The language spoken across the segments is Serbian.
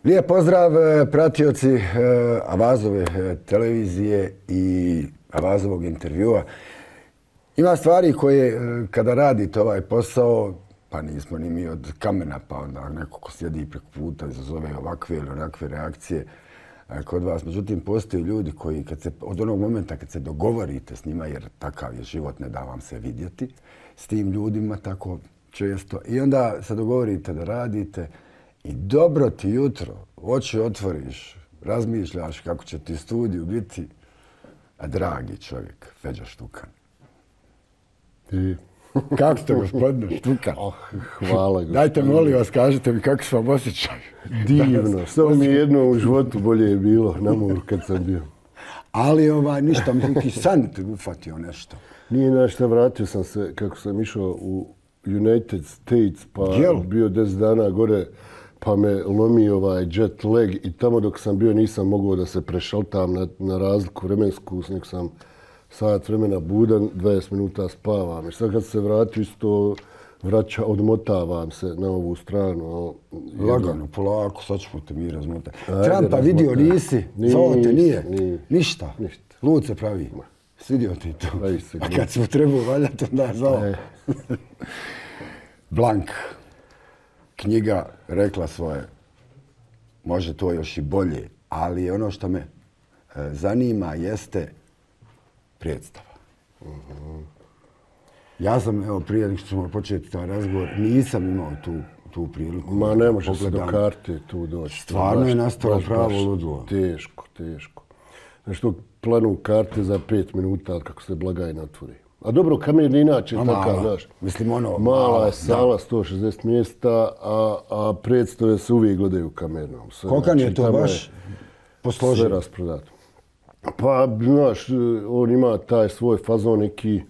Lijep pozdrav pratioci Avazove televizije i Avazovog intervjua. Ima stvari koje kada radite ovaj posao, pa nismo ni mi od kamena, pa onda neko ko sjedi preko puta izazove ovakve ili onakve reakcije kod vas. Međutim, postoje ljudi koji od onog momenta kad se dogovorite s njima, jer takav je život, ne da vam se vidjeti s tim ljudima tako često, i onda se dogovorite da radite i dobro ti jutro, oči otvoriš, razmišljaš kako će ti studiju biti, a dragi čovjek, Feđa Štukan. I... Kako ste, gospodine Štukan? Hvala, gospodine. Dajte, molim vas, kažite mi kako su vam osjećaj. Divno. Samo mi jedno u životu bolje je bilo na moru kad sam bio. Ali ništa, neki san te ufatio nešto. Nije nešto, vratio sam se kako sam išao u United States, pa bio 10 dana gore, pa me lomi jet lag i tamo dok sam bio nisam mogao da se prešaltam na razliku vremensku, nek sam sat vremena budan, 20 minuta spavam. I sad kad se vrati isto odmotavam se na ovu stranu. Lagano, polako, sad ćemo te mi razmotati. Trumpa vidio nisi? Zvao te nije? Ništa? Lud se pravi. Svidio ti to. A kad smo trebao valjati, onda zvao. Blank. Knjiga rekla svoje. Može to još i bolje, ali ono što me zanima jeste predstava. Ja sam, evo, prije nego što ćemo početi taj razgovor, nisam imao tu priliku. Ma ne može se do karte tu doći. Stvarno je nastalo pravo ludilo. Teško. Nešto planu karte za 5 minuta kako se blagajna otvori. A dobro, Kamerni inače je takav, znaš. Mislim, mala je sala, 160 mjesta, a predstave se uvijek gledaju Kamernom. Koliko je to baš posloženo? Sve rasprodato. Pa, znaš, on ima taj svoj fazon neki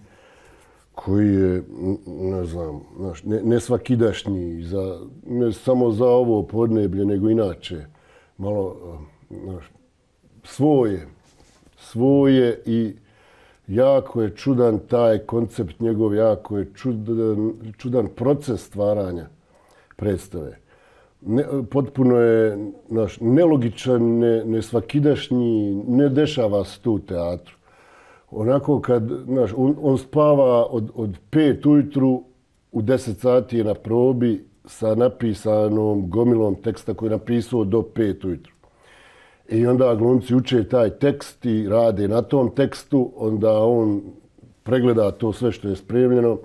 koji je, ne znam, znaš, ne svakidašnji, ne samo za ovo podneblje, nego inače. Malo, znaš, svoje i jako je čudan taj koncept njegov, jako je čudan proces stvaranja predstave. Potpuno je nelogičan, nesvakidašnji, ne dešava se tu u teatru. Onako kad, on spava od 5 ujutru, u 10 sati je na probi sa napisanom gomilom teksta koji je napisao do 5 ujutru. I onda glumci uče taj tekst i rade na tom tekstu, onda on pregleda to sve što je spremljeno,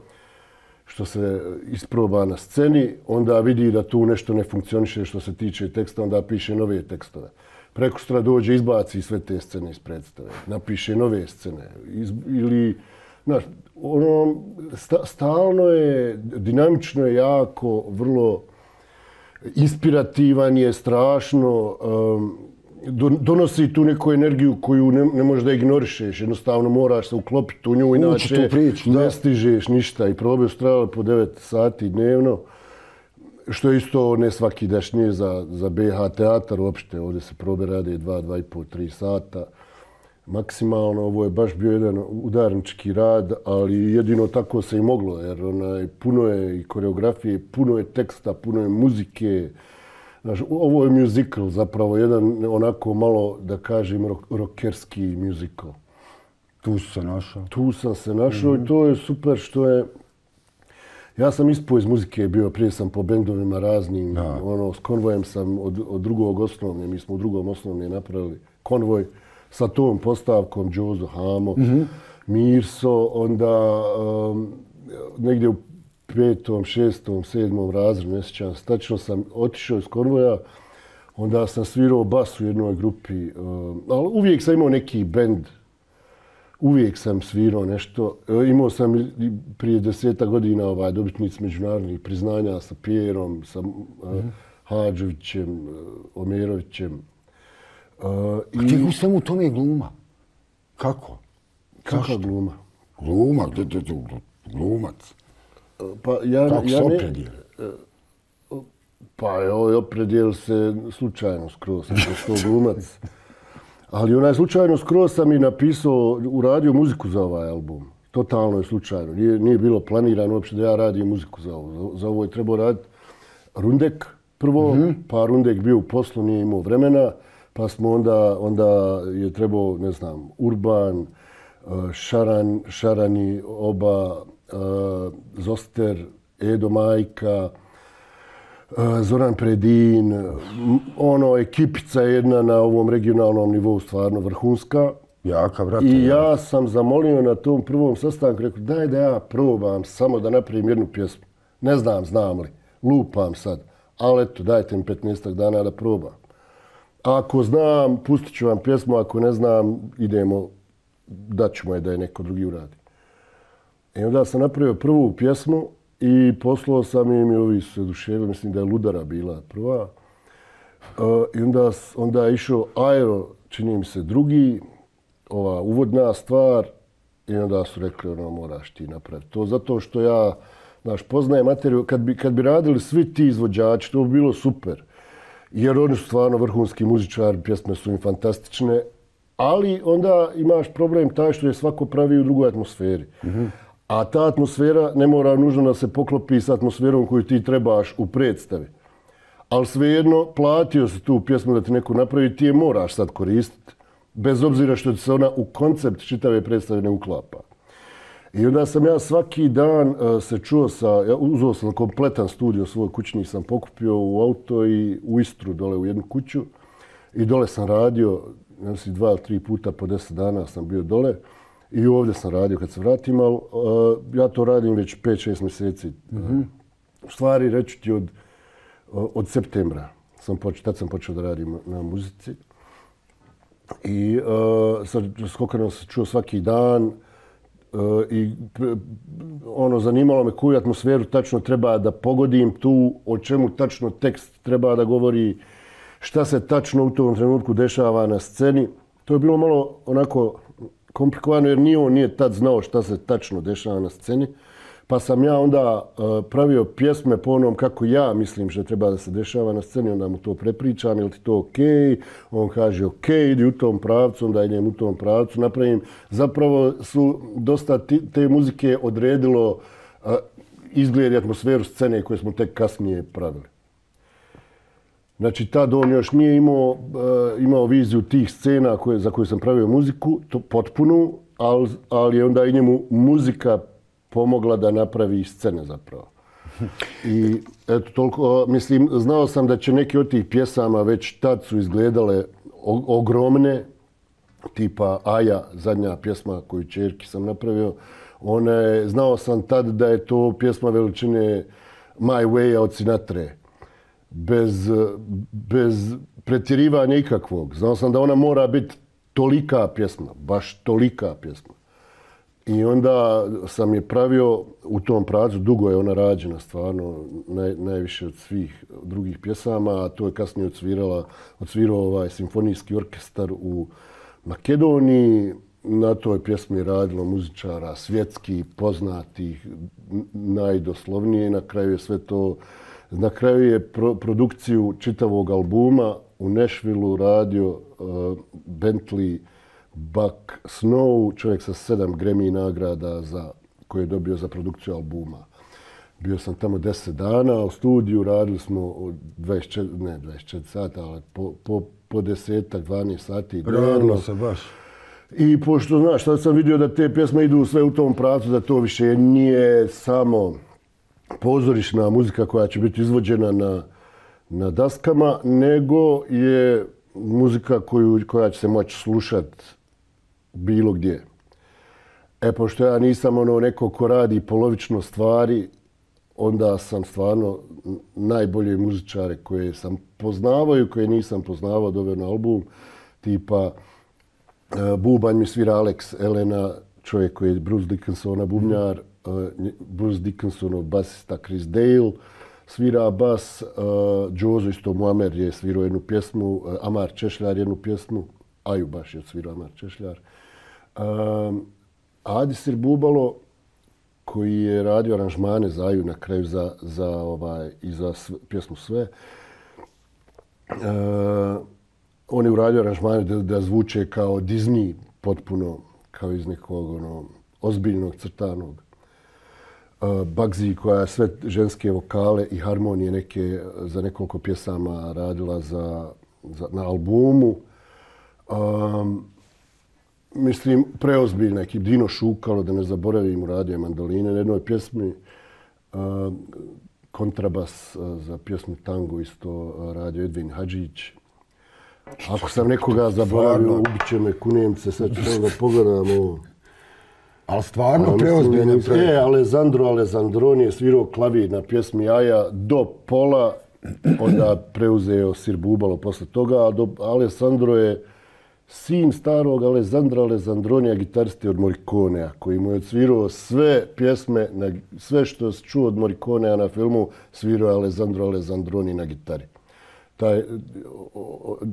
što se isproba na sceni, onda vidi da tu nešto ne funkcioniše što se tiče teksta, onda piše nove tekstove. Prekosutra dođe, izbaci sve te scene iz predstave, napiše nove scene. Ili, znaš, stalno je, dinamično je jako, vrlo inspirativan je, strašno, donosi tu neku energiju koju ne možeš da ignorišeš. Jednostavno moraš se uklopiti u nju, inače ne stižeš ništa. I probe su trajale po 9 sati dnevno, što je isto ne svakidašnje za BH teatar uopšte. Ovdje se probe rade 2,5, 3 sata. Maksimalno, ovo je baš bio jedan udarnički rad, ali jedino tako se i moglo, jer puno je i koreografije, puno je teksta, puno je muzike. Znaš, ovo je muzikal, zapravo jedan onako malo, da kažem, rockerski muzikal. Tu si se našao? Tu sam se našao i to je super što je... Ja sam ispao iz muzike bio, prije sam po bendovima raznim. S Konvojem sam od drugog osnovne, mi smo u drugom osnovne napravili Konvoj sa tom postavkom, Džozo, Hamo, Mirso, onda negdje u 5., 6., 7. razredu, ne sjećam se. Tačno sam otišao iz Konvoja, onda sam svirao bas u jednoj grupi, ali uvijek sam imao neki bend, uvijek sam svirao nešto. Imao sam prije 10 godina dobitnici međunarodnih priznanja sa Pjerom, sa Hadžovićem, Omerovićem. A ti u svemu tome je gluma? Kako? Kakva gluma? Gluma, glumac. Kako se opredijeli? Pa opredijeli se slučajno skroz, što glumac. Ali slučajno skroz sam i napisao, uradio muziku za ovaj album. totalno je slučajno. Nije bilo planirano uopšte da ja radim muziku za ovo. Za ovo je trebao raditi Rundek prvo, pa Rundek bio u poslu, nije imao vremena, pa smo onda je trebao, ne znam, Urban, Šarani, oba, Zoster, Edo Majka, Zoran Predin, ekipica jedna na ovom regionalnom nivou stvarno vrhunska. Jaka, brate. I ja sam zamolio na tom prvom sastanku, rekao daj da ja probam samo da napravim jednu pjesmu. Ne znam li, lupam sad, ali eto dajte mi 15 dana da probam. Ako znam, pustit ću vam pjesmu, ako ne znam, idemo, daćemo je da je neko drugi uradi. I onda sam napravio prvu pjesmu i poslao sam im i ovi su se oduševili, mislim da je Ludara bila prva. I onda je išao Aero, čini mi se drugi, ova uvodna stvar i onda su rekli moraš ti napraviti to. Zato što ja, poznajem materiju, kad bi radili svi ti izvođači, to bi bilo super. Jer oni su stvarno vrhunski muzičari, pjesme su im fantastične, ali onda imaš problem taj što je svako pravi u drugoj atmosferi. A ta atmosfera ne mora nužno da se poklopi s atmosferom koju ti trebaš u predstavi. Ali svejedno, platio si tu pjesmu da ti neko napravi, ti je moraš sad koristiti. Bez obzira što ti se ona u koncept čitave predstave ne uklapa. I onda sam ja svaki dan se čuo uzeo sam kompletan studio svoj kućni, sam pokupio u auto i u Istru dole u jednu kuću. I dole sam radio, mislim 2 ili 3 puta po 10 dana sam bio dole. I ovdje sam radio kad se vratim, ali ja to radim već 5-6 mjeseci. U stvari, reći ti od septembra, tad sam počeo da radim na muzici. I s Kokanom se čuo svaki dan i zanimalo me koju atmosferu tačno treba da pogodim tu, o čemu tačno tekst treba da govori, šta se tačno u tom trenutku dešava na sceni. To je bilo malo onako komplikovano jer on nije tad znao šta se tačno dešava na sceni. Pa sam ja onda pravio pjesme po onom kako ja mislim što treba da se dešava na sceni, onda mu to prepričam, je li ti to okej? On kaže okej, idi u tom pravcu, onda idem u tom pravcu, napravim. Zapravo su dosta te muzike odredilo izgled i atmosferu scene koje smo tek kasnije pravili. Znači, tad on još nije imao viziju tih scena za koje sam pravio muziku, potpunu, ali je onda i njemu muzika pomogla da napravi scene zapravo. I eto, toliko, mislim, znao sam da će neke od tih pjesama već tad su izgledale ogromne, tipa Aja, zadnja pjesma koju čerki sam napravio. Znao sam tad da je to pjesma veličine My Way od Sinatre. Bez pretjerivanja ikakvog. Znao sam da ona mora biti tolika pjesma, baš tolika pjesma. I onda sam je pravio u tom pravcu, dugo je ona rađena stvarno, najviše od svih drugih pjesama, a to je kasnije odsvirao simfonijski orkestar u Makedoniji. Na toj pjesmi je radilo muzičara svjetskih, poznatih, najdoslovnije. Na kraju je produkciju čitavog albuma u Nashvilleu radio Bentley Buck Snow, čovjek sa 7 Grammy nagrada koje je dobio za produkciju albuma. Bio sam tamo 10 dana u studiju, radili smo 24 sata, ali po 10-12 sati. Radilo se baš. I pošto, znaš, sad sam vidio da te pjesme idu sve u tom pravcu, da to više nije samo pozorišna muzika koja će biti izvođena na daskama, nego je muzika koja će se moći slušati bilo gdje. Pošto ja nisam neko ko radi polovično stvari, onda sam stvarno najbolje muzičare koje sam poznavao i koje nisam poznavao doveo na album. Tipa bubanj mi svira Alex Elena, čovjek koji je Bruce Dickinsona bubnjar, Bruce Dickinsonov basista Chris Dale, svira bas, Džozo isto Muamer je svirao jednu pjesmu, Amar Češljar jednu pjesmu, Aju baš je svirao Amar Češljar. Adisir Bubalo, koji je radio aranžmane za Aju na kraju i za pjesmu Sve, on je uradio aranžmane da zvuče kao Disney, potpuno kao iz nekog ozbiljnog crtanog. Bugsy koja je sve ženske vokale i harmonije neke za nekoliko pjesama radila na albumu. Mislim, preozbiljna ekip. Dino Šukalo, da ne zaboravim, uradio mandoline na jednoj pjesmi. Kontrabas za pjesmu Tango isto radio Edvin Hadžić. Ako sam nekoga zaboravio, ubit će me kunijemce, sad ću da pogledamo. Ali stvarno preozbiljno. Alessandro Alessandroni je svirao klavir na pjesmi Aja do pola, onda preuzeo Sir Bubalo posle toga, a Alessandro je sin starog Alessandra Alessandronija, gitariste od Morriconea, koji mu je odsvirao sve pjesme, sve što se čuo od Morriconea na filmu, svirao je Alessandro Alessandroni na gitari.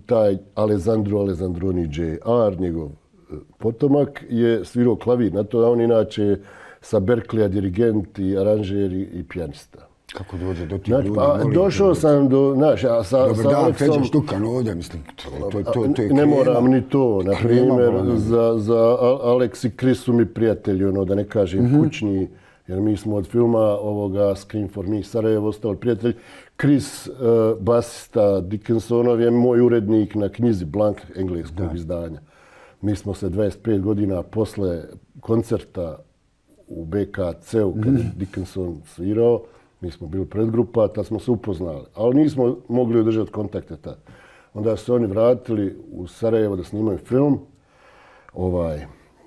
Taj Alessandro Alessandroni Jr., njegov potomak, je svirao klavir na to, a on inače sa Berkeleya dirigent i aranžer i pijanista. Kako dođe do tih ljudi? Došao sam do... Dobar dan, Feđa Štukan ovdje, mislim. Ne moram ni to. Na primjer, za Alex i Chris su mi prijatelji, da ne kažem kućni, jer mi smo od filma ovoga Scream for Me Sarajevo ostali prijatelji. Chris, basista Dickinsonov, je moj urednik na knjizi Blank engleskog izdanja. Mi smo se 25 godina posle koncerta u BKC-u, kada je Dickinson svirao, mi smo bili predgrupa, tad smo se upoznali, ali nismo mogli održati kontakte tad. Onda su oni vratili u Sarajevo da snimaju film,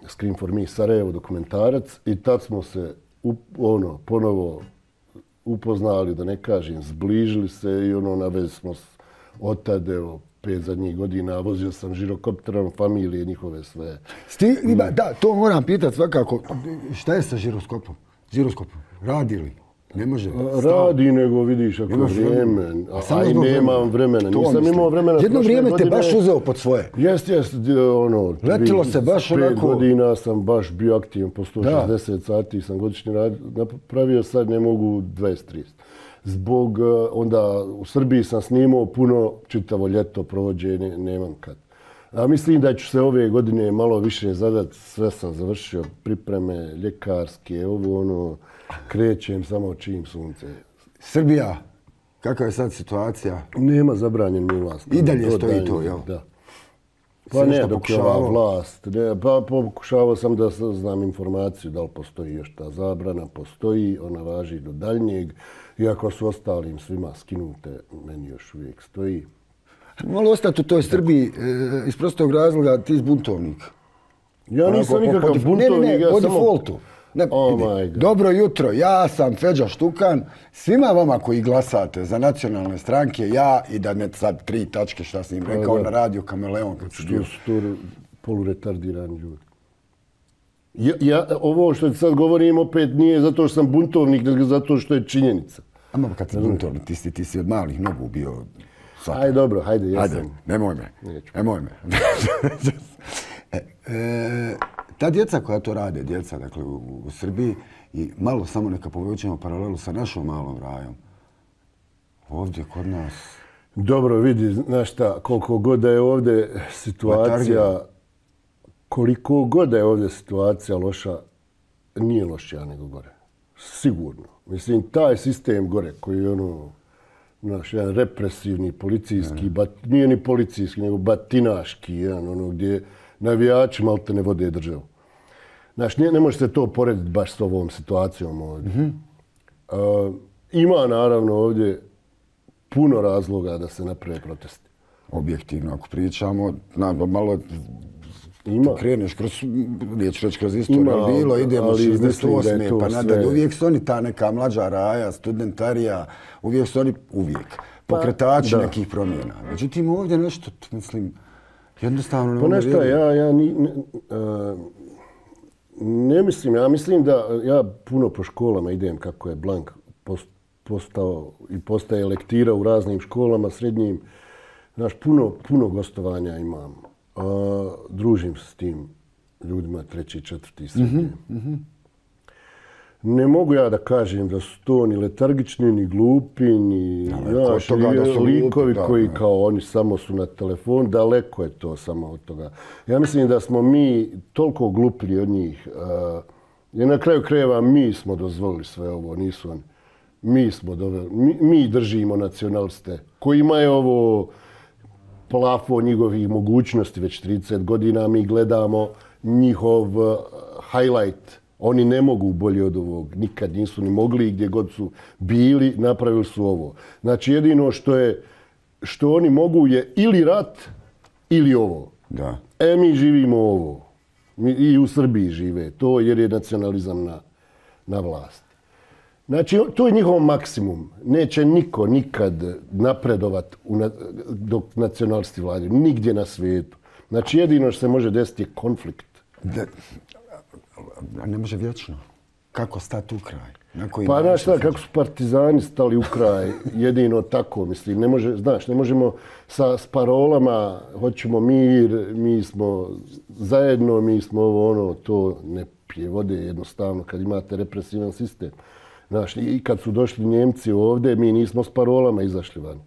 Scream for Me Sarajevo dokumentarac, i tad smo se ponovo upoznali, da ne kažem, zbližili se i na vezi smo od tada, 5 zadnjih godina, vozio sam žirokopterom familije njihove sve. Da, to moram pitati svakako. Šta je sa žiroskopom? Radi li? Ne može. Radi, nego vidiš ako vrijeme. A i nemam vremena. Nisam imao vremena. Jedno vrijeme te baš uzeo pod svoje. Jest. Letilo se baš onako. 5 godina sam baš bio aktivan, po 160 sati sam godišnji napravio, sad ne mogu 20-30. Zbog, onda u Srbiji sam snimao puno, čitavo ljeto provođenje, nemam kad. A mislim da ću se ove godine malo više zadati, sve sam završio, pripreme, ljekarske, krećem samo čim sunce. Srbija, kakva je sad situacija? Nema zabranjen mi vlast. I dalje stoji to, jel? Da. Pa ne, dok je ova vlast. Pa pokušavao sam da znam informaciju da li postoji još ta zabrana. Postoji, ona važi do daljnjeg. Iako su ostalim svima skinute, meni još uvijek stoji. Malo ostati u toj Srbiji iz prostog razloga, ti zbuntovnik. Ja nisam nikakav buntovnik. Ne, po defaultu. Dobro jutro, ja sam Feđa Štukan. Svima vama koji glasate za nacionalne stranke, ja i da ne sad 3 tačke šta sam im rekao na radiju Kameleon. Što su to poluretardirani ljudi. Ovo što sad govorim opet nije zato što sam buntovnik, nego zato što je činjenica. Ama kad si buntovnik, ti si od malih nogu bio... Ajde, dobro, hajde, ja sam. Nemoj me. Ta djeca koja to rade, dakle, u Srbiji, i malo samo neka povučemo paralelu sa našom malom rajom. Ovdje kod nas... Dobro, vidi, znaš šta, koliko god da je ovdje situacija... Koliko god da je ovdje situacija loša, nije lošija nego gore. Sigurno. Mislim, taj sistem gore koji je jedan represivni, policijski, nije ni policijski, nego batinaški, gdje navijači malte ne vode državu. Znaš, ne može se to porediti baš s ovom situacijom ovdje. Ima naravno ovdje puno razloga da se naprave protesti. Objektivno, ako pričamo, malo kreneš kroz istoriju, ali bilo, idemo 68. pa nadalje. Uvijek su oni ta neka mlađa raja, studentarija, uvijek su oni pokretači nekih promjena. Međutim, ovdje nešto, mislim, jednostavno ne mogu vjeriti. Ja ne mislim, ja mislim da ja puno po školama idem kako je Blank postao i postaje lektira u raznim školama, srednjim. Znaš, puno gostovanja imam. Družim se s tim ljudima 3., 4. srednje. Ne mogu ja da kažem da su to ni letargični, ni glupi, ni likovi koji kao oni samo su na telefonu. Daleko je to samo od toga. Ja mislim da smo mi toliko glupili od njih I na kraju krajeva mi smo dozvolili sve ovo, nisu oni. Mi smo doveli, mi držimo nacionaliste kojima je ovo plafon njihovih mogućnosti već 30 godina. Mi gledamo njihov highlight. Oni ne mogu bolje od ovog. Nikad nisu ni mogli, gdje god su bili, napravili su ovo. Znači jedino što oni mogu je ili rat ili ovo. Da. Mi živimo ovo. I u Srbiji žive to jer je nacionalizam na vlasti. Znači, to je njihov maksimum. Neće niko nikad napredovat dok nacionalisti vladaju. Nigdje na svijetu. Znači, jedino što se može desiti je konflikt. Ne može vječno. Kako stati u kraj? Pa znaš šta, kako su partizani stali u kraj, jedino tako, mislim, ne može, znaš, ne možemo s parolama, hoćemo mir, mi smo zajedno, mi smo ovo, ono, to ne pije vode jednostavno kad imate represivan sistem. Znaš, i kad su došli Njemci ovdje, mi nismo s parolama izašli van.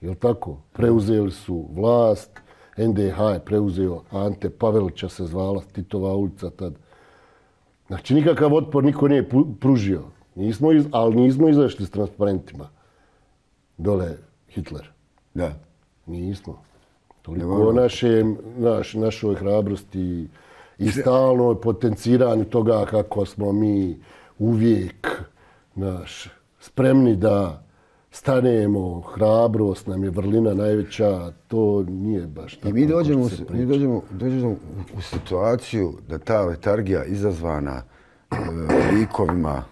Jel' tako? Preuzeli su vlast, NDH je preuzeo, Ante Pavelića se zvala, Titova ulica tad. Znači, nikakav otpor niko nije pružio. Ali nismo izašli s transparentima. Dole Hitler. Da. Nismo. Toliko o našoj hrabrosti i stalno potenciranju toga kako smo mi uvijek spremni da stanemo, hrabrost nam je vrlina najveća, to nije baš tako. I mi dođemo u situaciju da ta letargija izazvana likovima,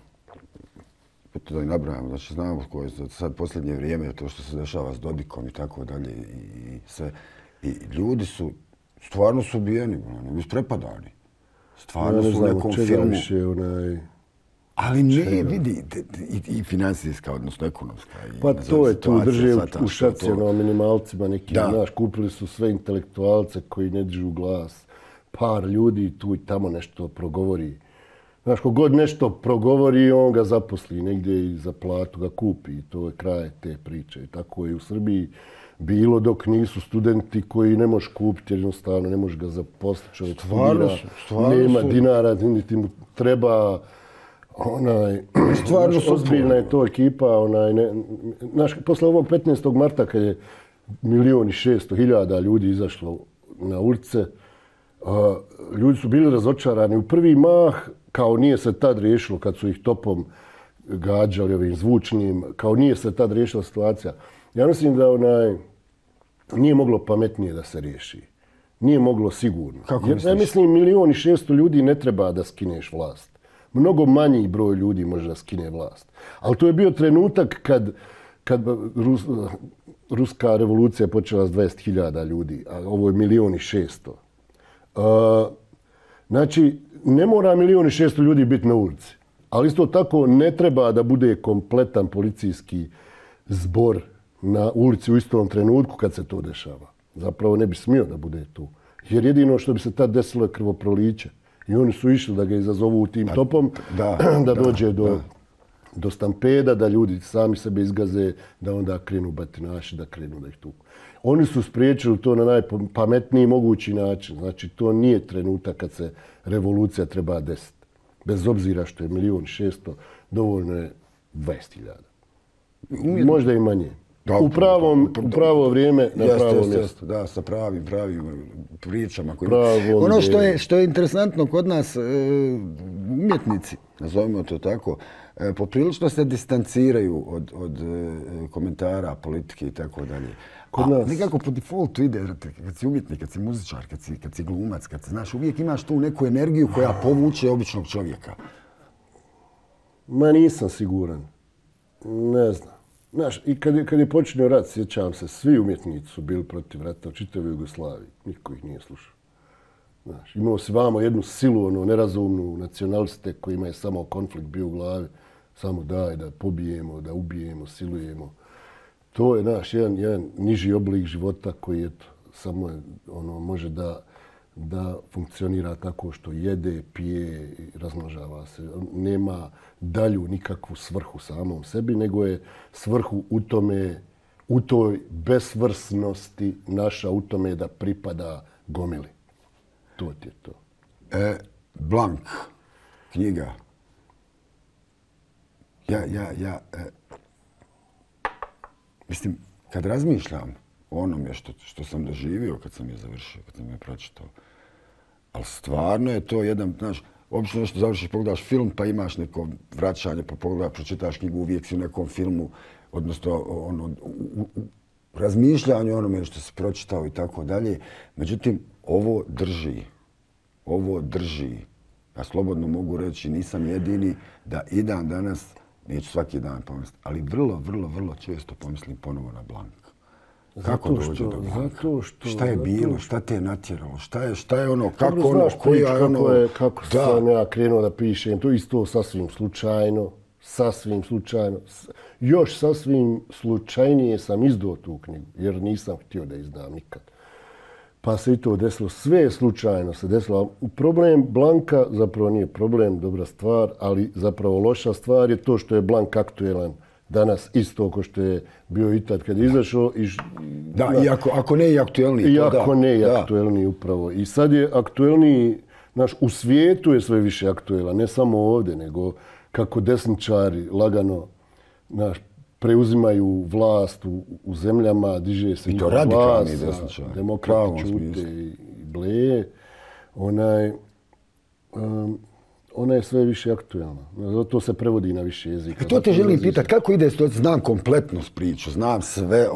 to da i nabrajamo, znači znamo koje je sad posljednje vrijeme, to što se dešava s Dodikom i tako dalje i sve. I ljudi su, stvarno su ubijeni, isprepadani. Stvarno su u nekom filmu. Ali ne, vidi, i financijska, odnosno ekonomska. Pa to je tu, drže u šacijama minimalcima neki, znaš, kupili su sve intelektualce koji ne dižu glas. Par ljudi tu i tamo nešto progovori. Znaš, kogod nešto progovori, on ga zaposli negdje i za platu ga kupi. I to je kraj te priče. I tako je u Srbiji bilo dok nisu studenti koji ne možeš kupiti, jednostavno ne možeš ga zaposliti. Čovjek studira, nema dinara, niti mu treba. Ozbiljna je to ekipa. Posle ovog 15. marta kad je 1.600.000 ljudi izašlo na ulice, ljudi su bili razočarani. U prvi mah, kao nije se tad riješilo kad su ih topom gađali ovim zvučnim, kao nije se tad riješila situacija. Ja mislim da nije moglo pametnije da se riješi. Nije moglo sigurno. Ja mislim 1.600.000 ljudi ne treba da skineš vlast. Mnogo manji broj ljudi može da skine vlast. Ali to je bio trenutak kad ruska revolucija počela s 20.000 ljudi, a ovo je 1.600.000. Znači, ne mora 1.600.000 ljudi biti na ulici. Ali isto tako ne treba da bude kompletan policijski zbor na ulici u istom trenutku kad se to dešava. Zapravo ne bi smio da bude tu. Jer jedino što bi se tad desilo je krvoproliće. I oni su išli da ga izazovu tim topom, da dođe do stampeda, da ljudi sami sebe izgaze, da onda krenu batinaši, da krenu da ih tuku. Oni su spriječili to na najpametniji mogući način. Znači, to nije trenutak kad se revolucija treba desiti. Bez obzira što je 1.600.000, dovoljno je 20.000. Možda i manje. U pravo vrijeme, na pravo mjesto. Da, sa pravim pričama. Ono što je interesantno kod nas, umjetnici, nazovimo to tako, poprilično se distanciraju od komentara, politike i tako dalje. Nekako po defaultu ide, kad si umjetnik, kad si muzičar, kad si glumac, znaš, uvijek imaš tu neku energiju koja povuče običnog čovjeka. Ma nisam siguran. Ne znam. Znaš, i kad je počinio rat, sjećam se, svi umjetnici su bili protiv rata u čitavoj Jugoslaviji. Niko ih nije slušao. Znaš, imao si vamo jednu silu, nerazumnu nacionaliste kojima je samo konflikt bio u glavi. Samo daj da pobijemo, da ubijemo, silujemo. To je naš jedan niži oblik života koji samo može da funkcionira tako što jede, pije i razmnožava se. Nema dalju nikakvu svrhu samom sebi, nego je svrhu u toj besvrsnosti naša, u tome da pripada gomili. To ti je to. Blank. knjiga. Mislim, kad razmišljam o onome što sam doživio kad sam je završio, kad sam je pročitao, ali stvarno je to jedan, znaš, obično nešto završiš, pogledaš film, pa imaš neko vraćanje, pa pogledaš, pročitaš knjigu, uvijek si u nekom filmu, odnosno u razmišljanju onome što si pročitao i tako dalje. Međutim, ovo drži. Ja slobodno mogu reći, nisam jedini da i dan danas, neću svaki dan pomisliti, ali vrlo često pomislim ponovo na Blanku. Kako dođe do Blanka? Šta je bilo? Šta te je natjeralo? Šta je ono? Kako ono? Koja je ono? Kako sam ja krenuo da pišem? To isto sasvim slučajno. Još sasvim slučajnije sam izdao tu knjigu, jer nisam htio da izdam nikad. Pa se i to desilo. Sve slučajno se desilo. Problem Blanka zapravo nije problem, dobra stvar, ali zapravo loša stvar je to što je Blank aktuelan danas isto kao što je bio i tad kad je izašao. Da, i ako ne i aktuelniji. Iako ne i aktuelniji upravo. I sad je aktuelniji, znaš, u svijetu je sve više aktuelan, ne samo ovdje, nego kako desničari lagano, znaš, preuzimaju vlast u zemljama, diže se njihova vlast, demokrati čute i bleje. Ona je sve više aktuelna. Zato se prevodi na više jezika. To te želim pitati, kako ide to? Znam kompletnu priču, znam sve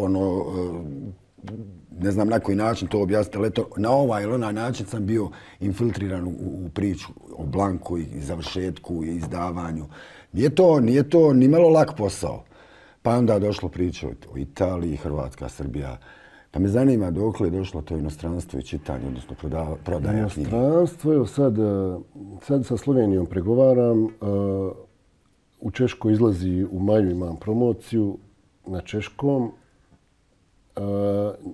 ne znam na koji način to objasniti, ali na ovaj ili onaj način sam bio infiltriran u priču o Blanku i završetku i izdavanju. Nije to ni malo lak posao. Pa onda je došlo priča o Italiji, Hrvatska, Srbija. Pa me zanima dokle je došlo to inostranstvo i čitanje, odnosno prodaja knjige. Inostranstvo, evo sad sa Slovenijom pregovaram. U Češkoj izlazi u maju, imam promociju na češkom.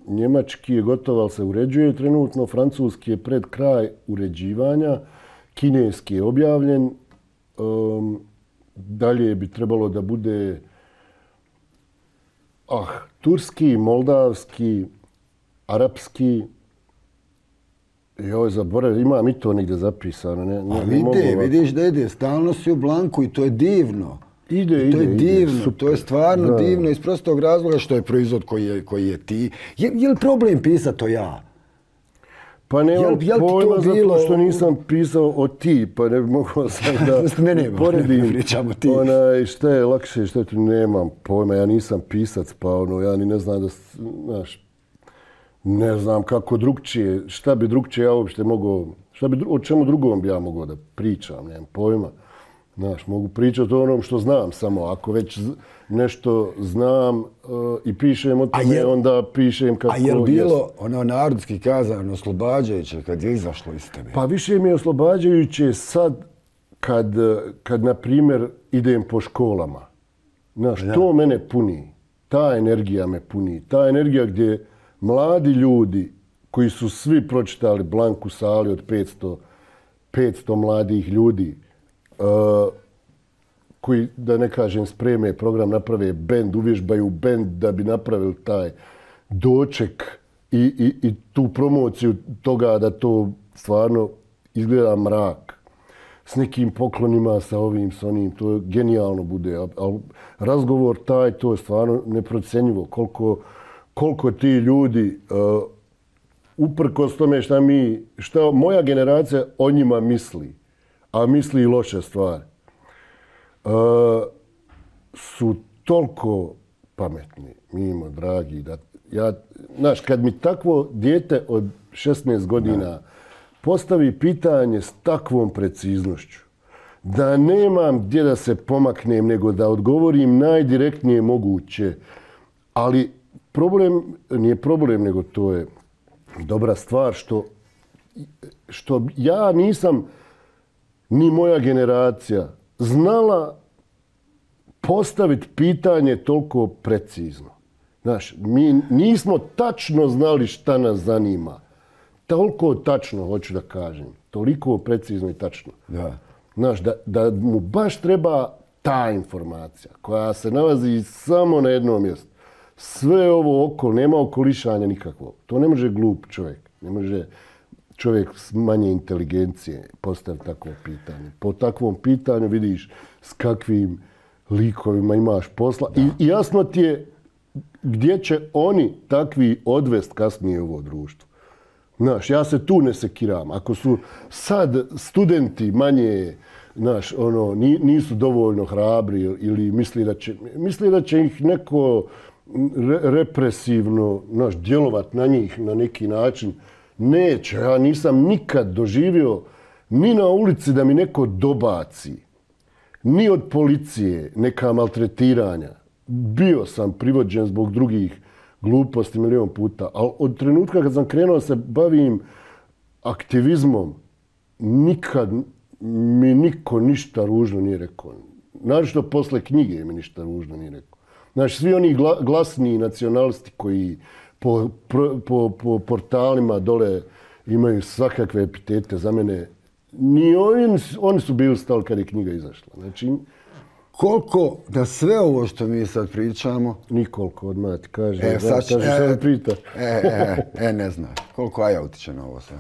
Njemački je gotov, ali se uređuje trenutno. Francuski je pred kraj uređivanja. Kineski je objavljen. Dalje bi trebalo da bude turski, moldavski, arapski. Joj, zaboravim, imam i to negdje zapisano. Vidiš da ide, stalno si u Blanku i to je divno. Ide, divno, to je stvarno divno iz prostog razloga što je proizvod koji je ti. Je li problem pisati to ja? Pa nemam pojma zato što nisam pisao o ti, pa ne bi mogao sam da poredim šta je lakše, šta je tu, nemam pojma, ja nisam pisac, pa ja ni ne znam da, znaš, ne znam kako drugčije, šta bi drugčije ja uopšte mogao, o čemu drugom bi ja mogao da pričam, nemam pojma. Znaš, mogu pričati o onom što znam samo. Ako već nešto znam i pišem o tome, onda pišem kako jest. A je li bilo ono narodski kazano oslobađajuće kad je izašlo iz tebe? Pa više mi je oslobađajuće sad kad na primjer, idem po školama. Znaš, to mene puni. Ta energija me puni. Ta energija gdje mladi ljudi koji su svi pročitali Blanku sali od 500 mladih ljudi, koji, da ne kažem, spreme program, naprave bend, uvježbaju bend da bi napravili taj doček i tu promociju toga da to stvarno izgleda mrak. S nekim poklonima, sa ovim, s onim, to genijalno bude. Ali razgovor taj, to je stvarno neprocjenjivo. Koliko ti ljudi, uprkos tome šta moja generacija o njima misli, a misli i loše stvari, su toliko pametni, mimo, dragi, da znaš, kad mi takvo dijete od 16 godina postavi pitanje s takvom preciznošću, da nemam gdje da se pomaknem, nego da odgovorim najdirektnije moguće, ali nije problem, nego to je dobra stvar što ja nisam ni moja generacija znala postaviti pitanje toliko precizno. Znaš, mi nismo tačno znali šta nas zanima. Toliko tačno, hoću da kažem. Toliko precizno i tačno. Da. Znaš, da mu baš treba ta informacija koja se nalazi samo na jednom mjestu. Sve ovo okolo, nema okolišanja nikakvog. To ne može glup čovjek. Ne može čovjek s manje inteligencije postavi takvo pitanje. Po takvom pitanju vidiš s kakvim likovima imaš posla i jasno ti je gdje će oni takvi odvest kasnije u ovo društvo. Znaš, ja se tu ne sekiram. Ako su sad studenti manje, znaš, nisu dovoljno hrabri ili misli da će ih neko represivno, znaš, djelovat na njih na neki način, neće. Ja nisam nikad doživio ni na ulici da mi neko dobaci, ni od policije neka maltretiranja. Bio sam privođen zbog drugih gluposti milion puta, ali od trenutka kad sam krenuo se bavim aktivizmom, nikad mi niko ništa ružno nije rekao. Naročito posle knjige mi ništa ružno nije rekao. Znači, svi oni glasni nacionalisti koji po portalima dole imaju svakakve epitete za mene, ni oni su bili stali kad je knjiga izašla. Znači, koliko da sve ovo što mi sad pričamo... Nikoliko odmah ti kaže. Sad prita. Ne znam. Koliko Aja utiče na ovo sve?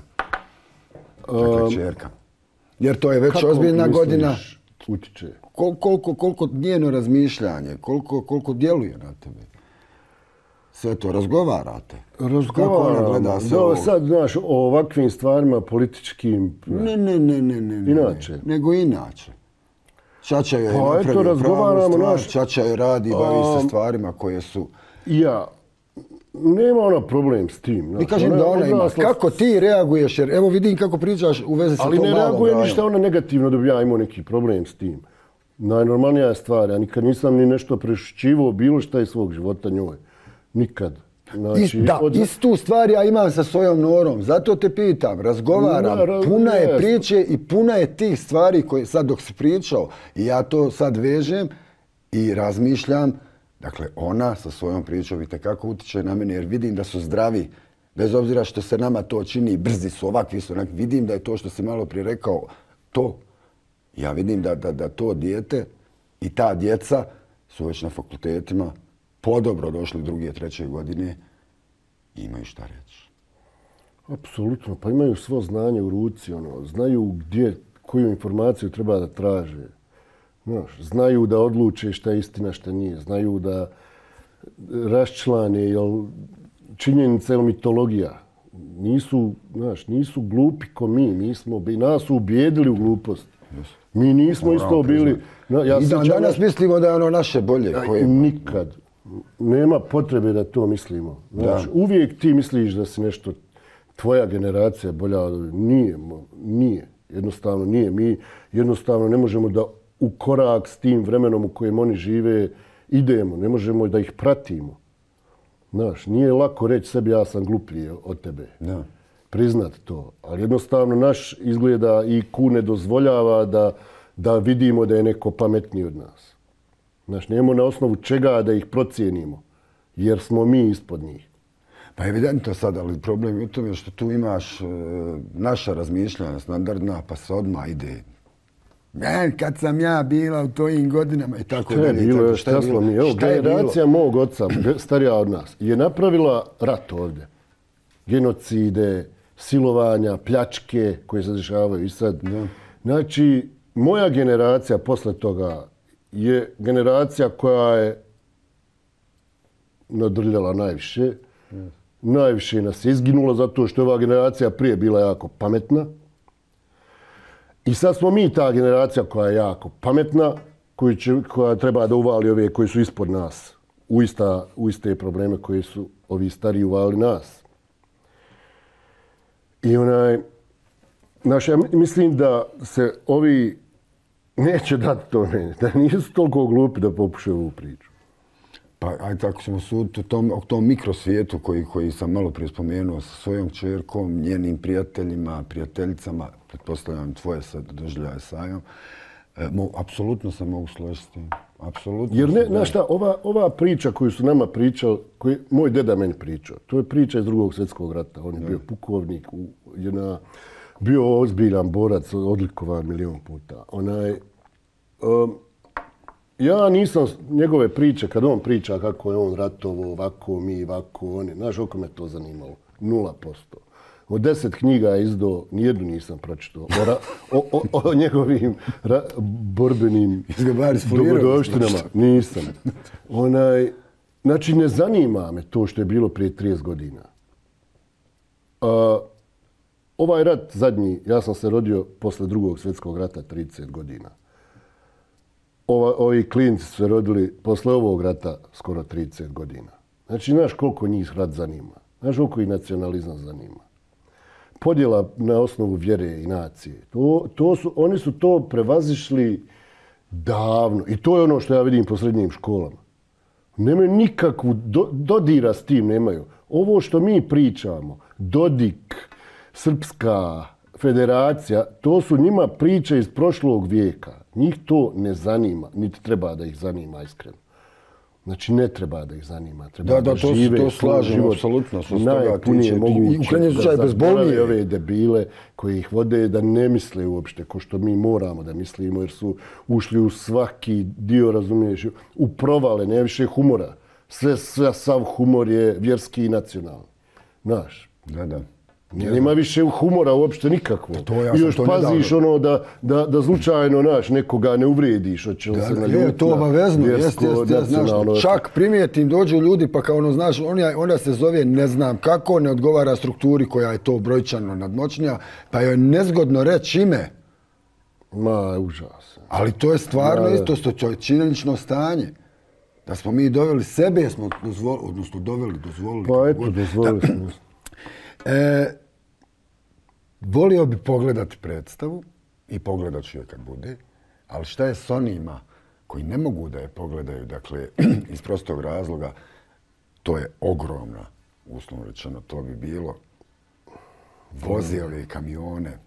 Dakle, čerka. Jer to je već ozbiljna godina. Utiče? Koliko njeno razmišljanje, koliko djeluje na tebe? Sve to razgovarate? Razgovaramo. Sad, znaš, o ovakvim stvarima političkim... Ne. Inače. Nego inače. Čača joj je napravio pravu stvar, Čača joj radi, bavi se stvarima koje su... Ja, nema ona problem s tim. Ne kažem da ona ima. Kako ti reaguješ? Jer evo vidim kako pričaš u vezi sa tom malom Ali ne reaguje rajom. ništa ona negativno da bi ja imao neki problem s tim. Najnormalnija je stvar. Ja nikad nisam ni nešto prešućivao bilo šta iz svog života njoj. Nikad. Znači, istu stvar ja imam sa svojom Norom. Zato te pitam, razgovaram. Puna je priče i puna je tih stvari koje sad dok si pričao. I ja to sad vežem i razmišljam. Dakle, ona sa svojom pričom itekako utiče na mene jer vidim da su zdravi. Bez obzira što se nama to čini, brzi su, ovakvi su. Vidim da je to što si malo prije rekao, to. Ja vidim da to dijete i ta djeca su već na fakultetima podobro došli 2. 3. godine i imaju šta reći. Apsolutno, pa imaju svo znanje u ruci, znaju koju informaciju treba da traže. Znaju da odluče šta je istina, šta nije. Znaju da raščlane činjenica ili mitologija. Nisu glupi ko mi. Nas su ubijedili u glupost. Mi nismo isto bili... I danas mislimo da je ono naše bolje. Nikad. Nema potrebe da to mislimo. Uvijek ti misliš da si nešto, tvoja generacija bolja od... Nije. Jednostavno nije. Mi jednostavno ne možemo da u korak s tim vremenom u kojem oni žive idemo. Ne možemo da ih pratimo. Nije lako reći sebi ja sam gluplji od tebe. Priznat to. Ali jednostavno naš izgleda i IQ ne dozvoljava da vidimo da je neko pametniji od nas. Nemo na osnovu čega da ih procijenimo. Jer smo mi ispod njih. Pa evidentno sad, ali problem je u tome što tu imaš naša razmišljanja standardna, pa se odmah ide. Kad sam ja bila u tojim godinama i tako dalje. Šta je bilo? Generacija mog oca, starija od nas, je napravila rat ovdje. Genocide, silovanja, pljačke koje se dešavaju i sad. Znači, moja generacija posle toga je generacija koja je nadrljala najviše. Najviše nas je izginula zato što je ova generacija prije bila jako pametna. I sad smo mi ta generacija koja je jako pametna, koja treba da uvali ove koji su ispod nas u iste probleme koje su ovi stariji uvali nas. I ja mislim da se ovi neće dati to meni, da nisu toliko glupi da popušaju ovu priču. Pa ajde tako ćemo suditi o tom mikrosvijetu koji sam malo prije spomenuo sa svojom čerkom, njenim prijateljima, prijateljicama, pretpostavljam tvoje sad doživljaje s Ajom. Apsolutno se mogu složiti s tim. Apsolutno. Jer znaš šta, ova priča koju su nama pričali, koju moj deda meni pričao, to je priča iz 2. svjetskog rata. On je bio pukovnik, bio ozbiljan borac, odlikovan milion puta. Ja nisam njegove priče, kad on priča kako je on ratovao, ovako mi, ovako oni, znaš, oko me to zanimalo. 0%. Od 10 knjiga je izdao, nijednu nisam pročitao. O njegovim borbenim dogodovštinama. Nisam. Znači, ne zanima me to što je bilo prije 30 godina. Ovaj rat zadnji, ja sam se rodio posle drugog svjetskog rata 30 godina. Ovi klinci su se rodili posle ovog rata skoro 30 godina. Znači, znaš koliko njih rat zanima. Znaš koliko ih nacionalizam zanima. Podjela na osnovu vjere i nacije. Oni su to prevazišli davno. I to je ono što ja vidim po srednjim školama. Nemaju nikakvu dodira s tim, nemaju. Ovo što mi pričamo, Dodik, Srpska federacija, to su njima priče iz prošlog vijeka. Njih to ne zanima, niti treba da ih zanima iskreno. Znači, ne treba da ih zanima. Treba da žive to slažem, apsolutno. Najpunije moguće. I u krajnjem slučaju bezbolnije. Ove debile koji ih vode da ne misle uopšte ko što mi moramo da mislimo, jer su ušli u svaki dio, razumiješ, u provale, ne više humora. Sav humor je vjerski i nacionalni. Znaš. Da. Nema više humora uopšte nikakvo. I još paziš ono da slučajno nekoga ne uvrediš. Je to obavezno. Čak primijetim, dođu ljudi pa kao ono, znaš, ona se zove ne znam kako, ne odgovara strukturi koja je to brojčano nadmoćnija, pa joj nezgodno reći ime. Ma, užasno. Ali to je stvarno isto, to je činjenično stanje. Da smo mi doveli sebe, smo dozvolili. Pa eto, dozvolili smo. Volio bi pogledati predstavu i pogledat ću je kad bude, ali šta je s onima koji ne mogu da je pogledaju, dakle, iz prostog razloga, to je ogromna, uslovno rečeno, to bi bilo, vozi ove kamione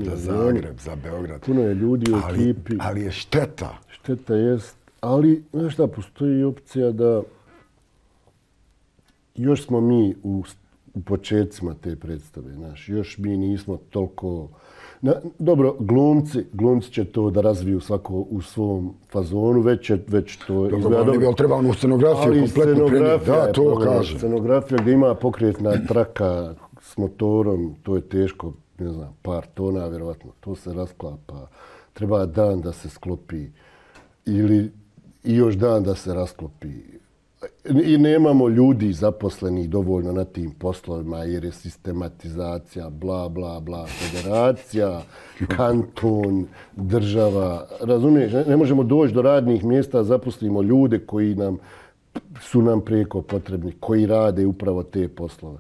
za Zagreb, za Beograd. Puno je ljudi u ekipi. Ali je šteta. Šteta jest, ali, znaš šta, postoji opcija da još smo mi u početcima te predstave, znaš, još mi nismo toliko... Dobro, glumci će to da razviju svako u svom fazonu, već to... Dobro, treba onu scenografiju kompletno prenijeti. Da, to kažem. Scenografija gdje ima pokretna traka s motorom, to je teško, ne znam, par tona, vjerovatno. To se rasklapa. Treba dan da se sklopi ili i još dan da se rasklopi. I nemamo ljudi zaposlenih dovoljno na tim poslovima jer je sistematizacija, bla, bla, bla, federacija, kanton, država. Razumiješ, ne možemo doći do radnih mjesta, zaposlimo ljude koji su nam prijeko potrebni, koji rade upravo te poslove.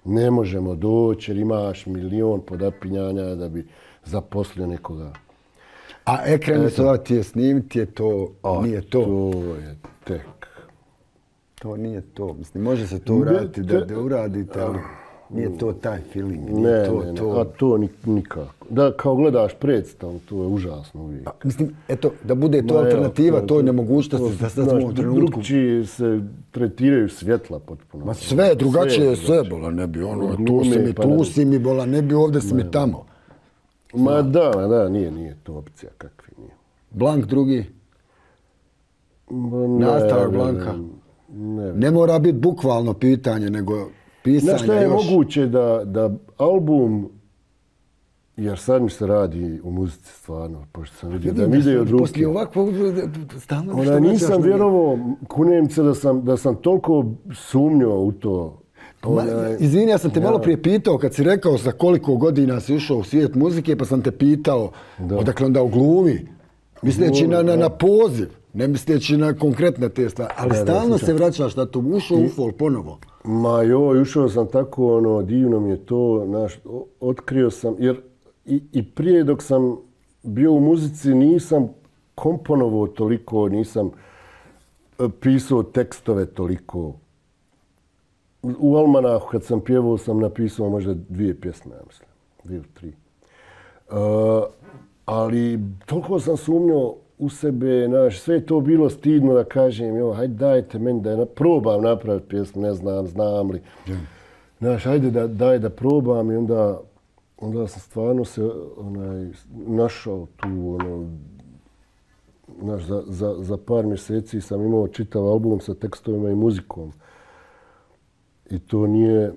Ne možemo doći jer imaš milion podapinjanja da bi zaposlio nekoga. A ekran ti je snimiti, je to, nije to. To je tek. To nije to. Mislim, može se to uraditi da uradite, ali nije to taj feeling. Ne, a to nikako. Da, kao gledaš predstavu, to je užasno uvijek. Mislim, eto, da bude to alternativa, to je nemogućnosti da sad smo u trenutku. Drugčije se tretiraju svjetla potpuno. Ma sve, drugačije sve, bola, ne bi ono, tu si mi, bola, ne bi ovdje si mi tamo. Ma da, nije to opcija kakvi nije. Blank drugi? Nastavak Blanka? Ne mora biti bukvalno pitanje, nego pisanje još. Znaš šta je moguće da album, jer sad mi se radi u muzici stvarno, pošto sam vidio da mi ide od ruke. Poslije ovakvog stalno nisam vjerovao, kunem se da sam toliko sumnjao u to. Izvini, ja sam te malo prije pitao kad si rekao za koliko godina si ušao u svijet muzike, pa sam te pitao odakle onda u glumi, misleći na poziv. Ne misleći na konkretne te stvari, ali stalno se vraćaš na to, ušao u folk ponovo. Ma joj, ušao sam tako, divno mi je to, otkrio sam, jer i prije dok sam bio u muzici nisam komponovao toliko, nisam pisao tekstove toliko. U Almanahu kad sam pjevao sam napisao možda 2 pjesme, ja mislim, 2 ili 3. Ali toliko sam sumnjao u sebe, sve je to bilo stidno da kažem, hajde dajte meni da probam napraviti pjesmu, ne znam li. Hajde daj da probam i onda sam stvarno se našao tu, za par mjeseci sam imao čitav album sa tekstovima i muzikom. I to nije,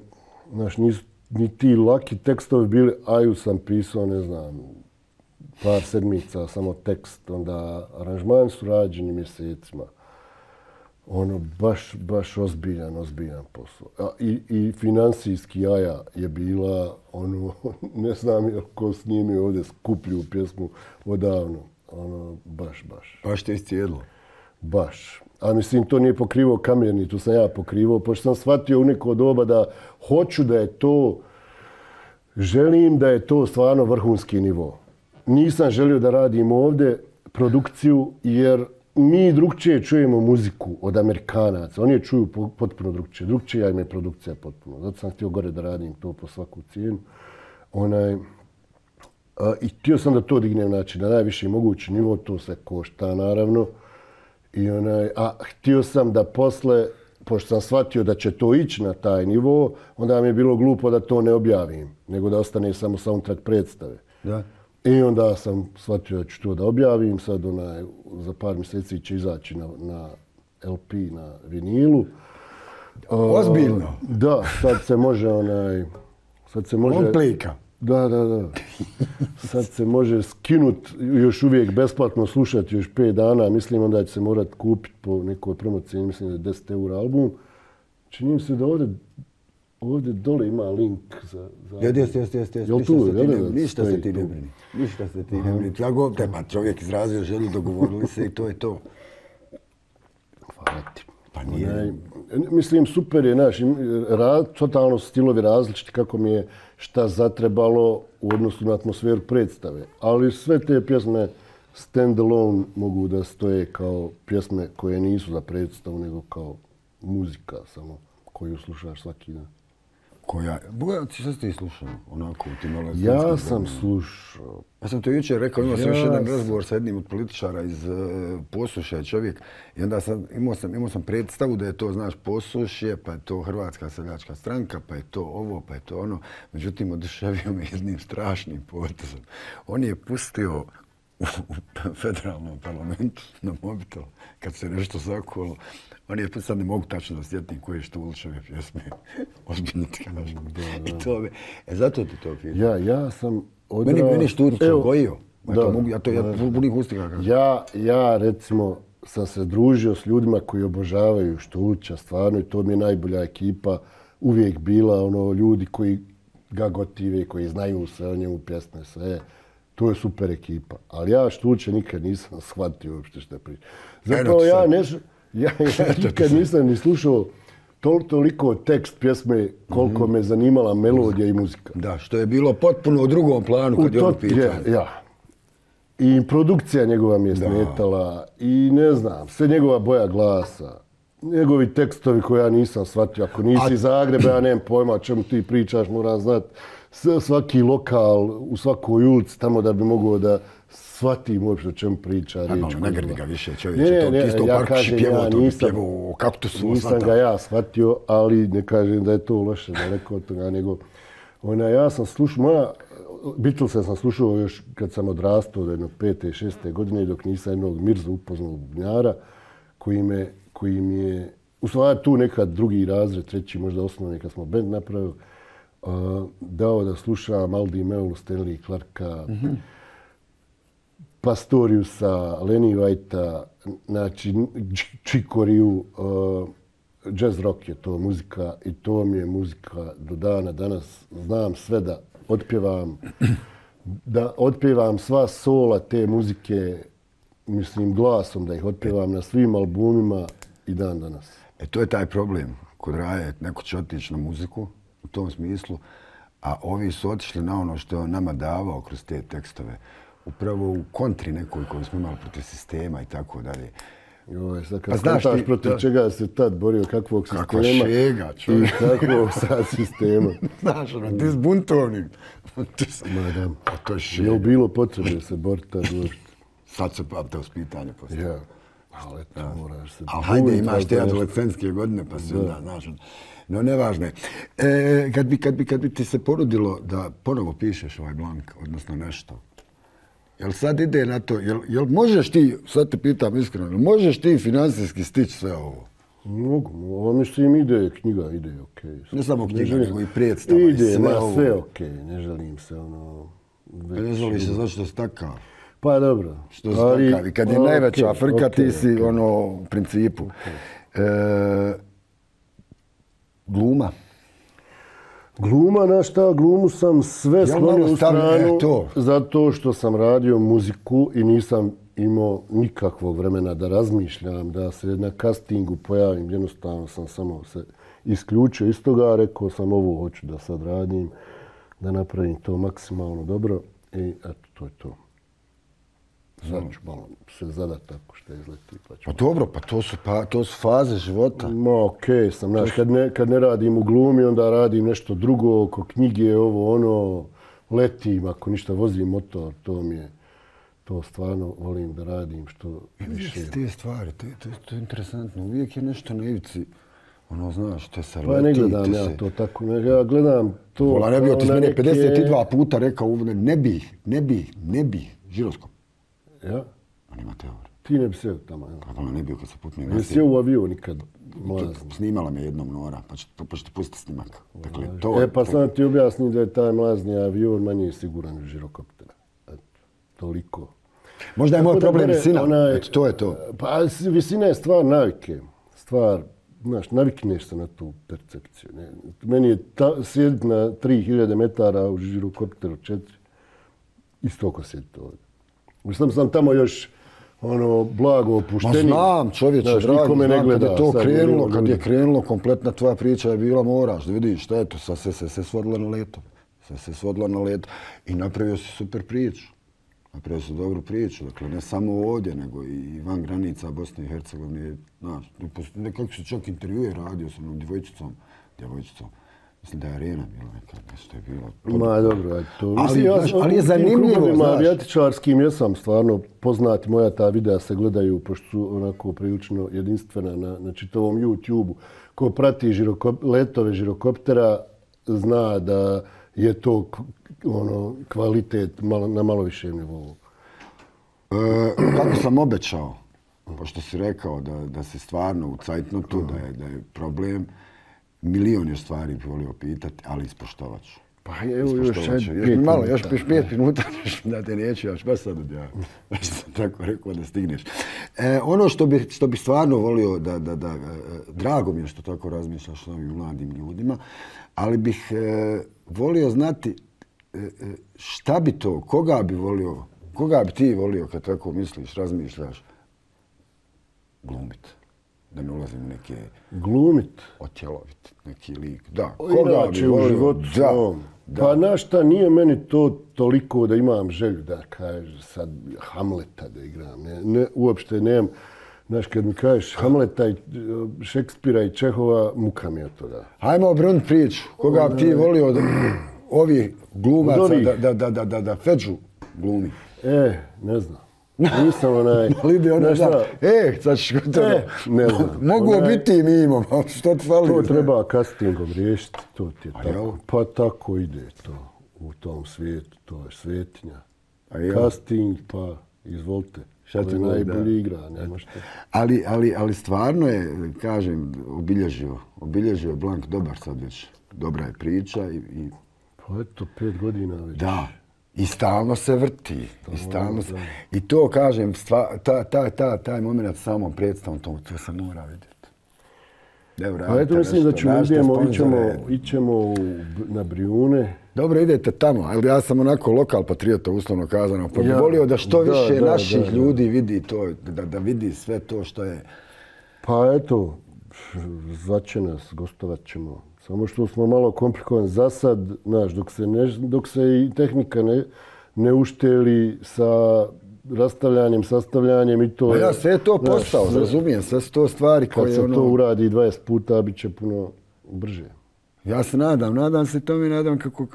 ni ti laki tekstovi bili, Aju sam pisao, ne znam, par sedmica, samo tekst, onda aranžmani su rađeni mjesecima. Ono, baš ozbiljan posao. I finansijski Jaja je bila, ono, ne znam je ko snimio ovdje skuplju pjesmu odavno. Ono, baš. Baš te iscijedilo? Baš. A mislim, to nije pokrivao Kamerni, to sam ja pokrivao, pošto sam shvatio u neko doba da hoću da je to, želim da je to stvarno vrhunski nivo. Nisam želio da radim ovdje produkciju, jer mi drugčije čujemo muziku od Amerikanaca. Oni je čuju potpuno drugčije. Drugčija im je produkcija potpuno. Zato sam htio gore da radim to po svaku cijenu. I htio sam da to dignem na najviši mogući nivo. To se košta, naravno. Htio sam da posle, pošto sam shvatio da će to ići na taj nivo, onda mi je bilo glupo da to ne objavim, nego da ostane samo soundtrack predstave. Da. I onda sam shvatio da ću to da objavim. Sad za par mjeseci će izaći na LP, na vinilu. Ozbiljno? Da, sad se može On plika? Da. Sad se može skinut, još uvijek besplatno slušati još 5 dana. Mislim onda će se morat kupiti po nekoj promociji, mislim da je 10 € album. Čini mi se da ovdje dole ima link za... Jeste. Ništa se ti ne brini. Ja govorim, pa čovjek izrazio želju, dogovorili se i to je to. Hvala ti. Pa nije. Mislim, super je, totalno su stilovi različiti kako mi je šta zatrebalo u odnosu na atmosferu predstave. Ali sve te pjesme stand-alone mogu da stoje kao pjesme koje nisu za predstavu, nego kao muzika samo koju slušaš svaki dan. Šta ste ih slušao? Onako, ja sam slušao. Ja sam to jučer rekao, imao sam još jedan razgovor sa jednim od političara iz Posušja čovjek. I onda imao sam predstavu da je to, znaš, Posušje, pa je to Hrvatska seljačka stranka, pa je to ovo, pa je to ono. Međutim, oduševio me jednim strašnim potezom. On je pustio u federalnom parlamentu na mobitel, kad se nešto zakulo. On je, sad ne mogu tačno da sjetim koje je Štulićeve pjesme. Ozbiljno ti kažem. I to me... zato ti to pitam. Ja sam Meni Šturić gojio. Ja punih ustika kažem. Ja, recimo, sam se družio s ljudima koji obožavaju Štulića, stvarno, i to mi je najbolja ekipa. Uvijek bila ljudi koji ga gotive, koji znaju sve o njemu, pjesme, sve. To je super ekipa. Ali ja Štulića nikad nisam shvatio uopšte što priča. Zapravo ja nikad nisam ni slušao toliko tekst pjesme koliko me zanimala melodija i muzika. Da, što je bilo potpuno u drugom planu kad je on pitao. Ja. I produkcija njegova mi je smetala i ne znam, sve njegova boja glasa, njegovi tekstovi koje ja nisam shvatio. Ako nisi iz Zagreba, ja nemam pojma o čemu ti pričaš, moram znati svaki lokal u svakoj ulici tamo da bi mogao da shvatim uopšte o čemu priča. Ne grdi ga više čovječe, to isto u Parkuši pjevao, to bi pjevao o kaktusu. Nisam ga ja shvatio, ali ne kažem da je to loše, daleko od toga, nego ja sam slušao, Beatlese sam slušao još kad sam odrastao, jedno 5. 6. godine, dok nisam jednog Mirzu upoznao bubnjara, koji mi je, u stvari tu nekad drugi razred, treći, možda osnovni, kad smo band napravili, dao da slušam Aldi Meulu, Stanley Clarka, Pastoriusa, Lenny Whitea, znači Chicoriju, jazz rock je to muzika i to mi je muzika do dana danas. Znam sve da otpjevam sva sola te muzike, mislim glasom da ih otpjevam na svim albumima i dan danas. To je taj problem. Kod Raje neko će otići na muziku u tom smislu, a ovi su otišli na ono što je nama davao kroz te tekstove. Upravo u kontri nekoj koju smo imali protiv sistema i tako dalje. Sad kad skontaš protiv čega se tad borio, kakvog sistema kakva šega, i kakvog sad sistema. Znaš, ti s buntovnim. To je šega. Je bilo potrebe se boriti tad uopšte? Sad se to s pitanje postavlja. Ja, ali eto, moraš se... Ali hajde, imaš te adolescentske godine, pa se onda, znaš, no nevažno je. Kad bi ti se porodilo da ponovo pišeš ovaj blank, odnosno nešto, jel sad ide na to, jel možeš ti, sad te pitam iskreno, jel možeš ti financijski stići sve ovo? Mogu, ovo mislim ide, knjiga ide, okej. Ne samo knjiga, nego i predstava. Ide, sve okej, ne želim se Ne želiš se zašto si takav. Pa dobro. Što si takav i kad je najveća frka ti si u principu. Gluma. Gluma, na šta, glumu sam sve sklonio u stranu zato što sam radio muziku i nisam imao nikakvog vremena da razmišljam, da se na castingu pojavim. Jednostavno sam samo se isključio iz toga, rekao sam ovo hoću da sad radim, da napravim to maksimalno dobro i eto, to je to. Sad ću malo se zadat tako što izleti. Pa dobro, pa to su faze života. Ma okej sam, znaš, kad ne radim u glumi, onda radim nešto drugo, oko knjige, ovo, ono, letim, ako ništa vozim motor, to stvarno volim da radim što više. Te stvari, to je interesantno, uvijek je nešto na ivici, ono, znaš, te se leti. Pa ne gledam ja to tako, ja gledam to... Vola, ne bio ti mene 52 puta rekao, ne bi, žiroskop. Ja? A nema teorije. Ti ne bi sjeo tamo, ja? Kako ne bio kad se putne ne sjeo u avion nikad. Snimala me jednom Nora, pa ću ti pustiti snimak. Dakle, to, pa sam ti objasnim da je taj mlazni avion manje siguran od žirokoptera. Toliko. Možda je moj problem visina, eto, to je to. Pa visina je stvar navike. Znaš, navikneš se na tu percepciju. Meni je sjediti na 3000 metara u žirokopteru 4, isto ko sjediti ovdje. Mislim sam tamo još blago opušteni. Ma znam, čovječe, dragi, znam kad je to krenulo, kad je krenulo, kompletna tvoja priča je bila moraš da vidiš šta je to, sad se svodilo na leto. I napravio si super priču. Napravio si dobru priču, dakle ne samo ovdje, nego i van granica Bosne i Hercegovine. Znaš, nekako se čak intervjue radio sa jednom djevojčicom. Mislim da je Arena bila neka, nešto je bilo. Ma dobro, to. Ali je zanimljivo, znaš. Avijatičarskim jesam stvarno poznati, moja ta videa se gledaju, pošto su onako prilično jedinstvena na čitavom YouTube-u. Ko prati letove žirokoptera zna da je to kvalitet na malo višem nivou. Kako sam obećao, pošto si rekao da si stvarno u cajtnotu, da je problem, milion je stvari bi volio pitati, ali ispoštovat ću. Pa evo još 5 minuta da te neću, ja baš sad odjavim. Baš sam tako rekao da stigneš. Ono što bi stvarno volio, drago mi je što tako razmišljaš o ovim mladim ljudima, ali bih volio znati šta bi to, koga bi ti volio kad tako misliš, razmišljaš, glumit. Da ne ulazim u neke... Glumit? Otjelovit, neki lik. Da, koga bi volio? U životu svom. Pa znaš šta, nije meni to toliko da imam želju da kažeš sad Hamleta da igram. Uopšte nemam. Znaš, kad mi kažeš Hamleta i Šekspira i Čehova, muka mi je to da. Hajmo obrnuti priču. Koga bi ti volio da ovi glumaca da Feđu glumi? Ne znam. Nisam sad ćeš gotovo. Ne znam. Mogu biti mimo, što ti fali? To treba castingom riješiti, to ti je tako. Pa tako ide to u tom svijetu, to je svetinja. Casting, pa izvolite. Šta ti najbolji igra, nema šta. Ali stvarno je, kažem, obilježio Blank dobar sad već. Dobra je priča i... Pa eto, 5 godina već. Da. I stalno se vrti. I to, kažem, taj moment samom predstavom, to se mora vidjeti. Pa eto, mislim da ićemo na Brijune. Dobro, idete tamo, ali ja sam onako lokal patriota, uslovno kazano. Pa bih volio da što više naših ljudi vidi to, da vidi sve to što je... Pa eto, zvaće nas, gostovat ćemo. Samo što smo malo komplikovani za sad, znaš, dok se i tehnika ne ušteli sa rastavljanjem, sastavljanjem i to... Pa ja, sve je to posao, razumijem, sve su to stvari koje... Kad se to uradi 20 puta, bit će puno brže. Ja se nadam se tome, nadam kako...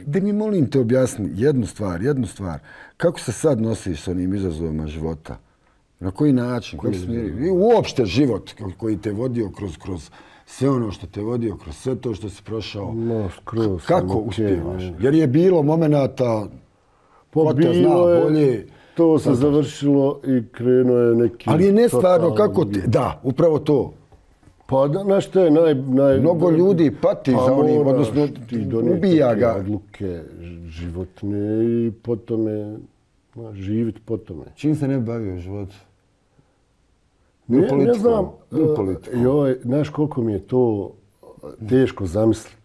Da mi molim te objasni jednu stvar. Kako se sad nosiš s onim izazovima života? Na koji način? I uopšte život koji te vodio kroz sve ono što te vodio, kroz sve to što si prošao. Kako uspijevaš? Jer je bilo momenata, ko te zna bolje, to se završilo i krenuo je neki... Ali je nestvarno kako ti... Da, upravo to. Pa, znaš što je Mnogo ljudi pati za onim, odnosno ubija ga. Odluke životne i potome, živit potome. Čim se ne bavio život? Ne znam, znaš koliko mi je to teško zamisliti.